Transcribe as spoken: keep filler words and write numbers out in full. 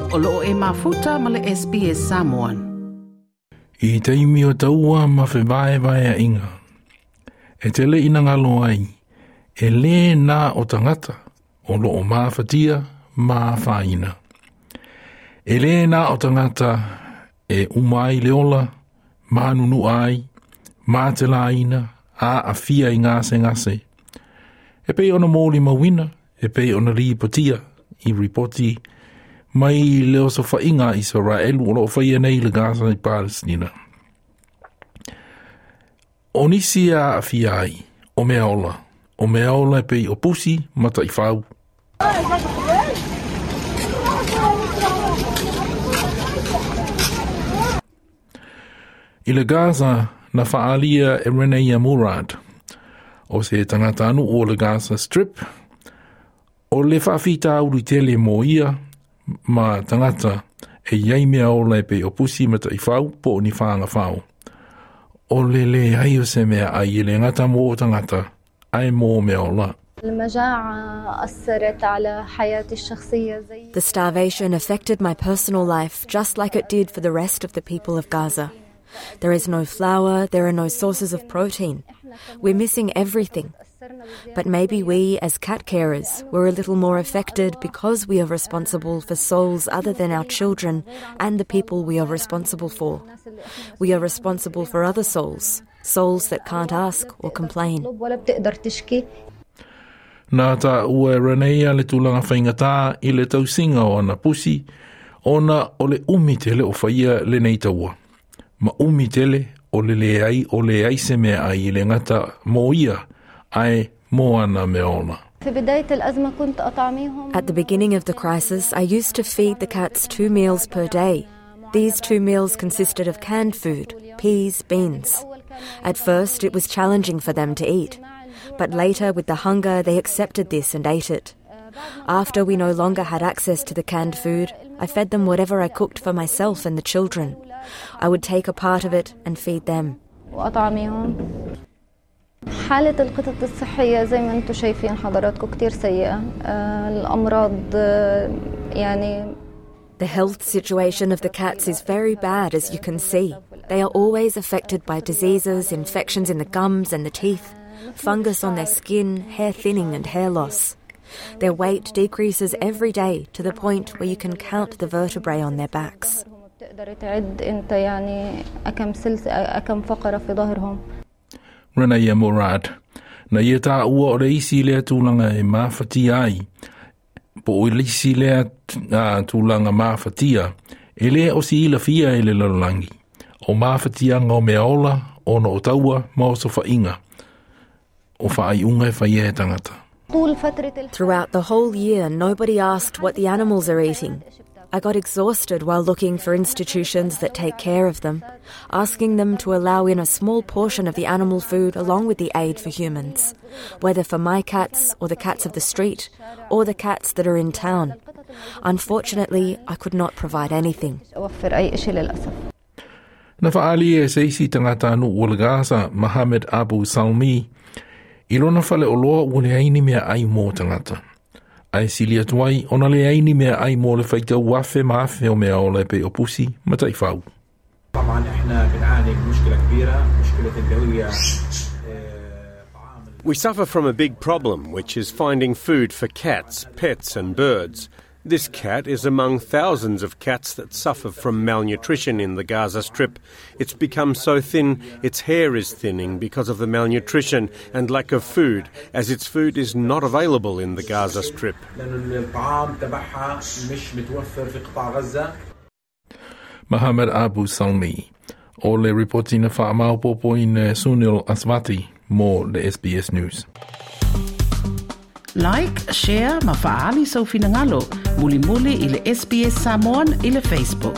O loo e mafuta ma le S B S Samoan. I taimi o taua ma whevae vaea inga. E tele ina ngalo ai, e le nā o tangata, o loo māwhatia, māwhaina. E le nā o tangata e umai le ola, mānunu ai, mātelaina, a awhia i ngase ngase. E pei ona mōli mawina, e pei ona ripotia, i ripoti, mai le oso whainga Israelu o loo whaia nei le Gaza i Palestina. O nisi a awhia ai, o mea ola, o mea ola e pei o pusi mata i whau. I le Gaza na whaalia e Renea Murad, o se tangata anu o le Gaza Strip, o le whaafita uru tele mō ia, ma tangata e iai mea ola e pe o pusi mata i whau po ni whaanga whau. O le le ai o se mea ai e le ngata mō tangata, ai mō mea ola. The starvation affected my personal life just like it did for the rest of the people of Gaza. There is no flour, there are no sources of protein. We're missing everything. But maybe we, as cat carers, were a little more affected because we are responsible for souls other than our children and the people we are responsible for. We are responsible for other souls, souls that can't ask or complain. Nā tā ua Renea le tūlanga whaingatā i le tausinga o ana pusi, ona o le umi tele o whaia le nei taua. Ma umi tele o le le ai o le ai se mea ai i le ngata mō ia, ai mō ana me ona. At the beginning of the crisis, I used to feed the cats two meals per day. These two meals consisted of canned food, peas, beans. At first, it was challenging for them to eat. But later, with the hunger, they accepted this and ate it. After we no longer had access to the canned food, I fed them whatever I cooked for myself and the children. I would take a part of it and feed them. حالة القطط الصحية زي ما انتم شايفين حضراتكم كتير سيئة. الأمراض يعني The health situation of the cats is very bad, as you can see. They are always affected by diseases, infections in the gums and the teeth, fungus on their skin, hair thinning and hair loss. Their weight decreases every day to the point where you can count the vertebrae on their backs. تقدر تعد انت يعني أكم سلس أكم فقرة في ظهرهم. Renea Murad. Na ia tā ua o le isi lea tūlanga e māwhatia ai, po o le isi lea tūlanga māwhatia, e lea o si ila fia e le lalolangi. O māwhatia ngā mea ola, ona o taua, ma o sofa inga. O whaai unga e whaia e tangata. Throughout the whole year, nobody asked what the animals are eating. I got exhausted while looking for institutions that take care of them, asking them to allow in a small portion of the animal food along with the aid for humans, whether for my cats or the cats of the street or the cats that are in town. Unfortunately, I could not provide anything. Na whaali e seisi tangata anu o le Gaza, Mohammed Abu Salmi, i lona whale o loa ua le aini mea ai mō tangata. Ai sili atu ai, ona le aini mea ai mō le whaitau wafe ma afe o mea ola e pe o pusi, ma taifau. We suffer from a big problem, which is finding food for cats, pets and birds. This cat is among thousands of cats that suffer from malnutrition in the Gaza Strip. It's become so thin, its hair is thinning because of the malnutrition and lack of food, as its food is not available in the Gaza Strip. Mohammed Abu Salmi, o le reportina whaamaupopo i Sunil Aswati, mō le S B S News. Like, share, ma faali sau finangalo, muli muli i le S B S Samoan i le Facebook.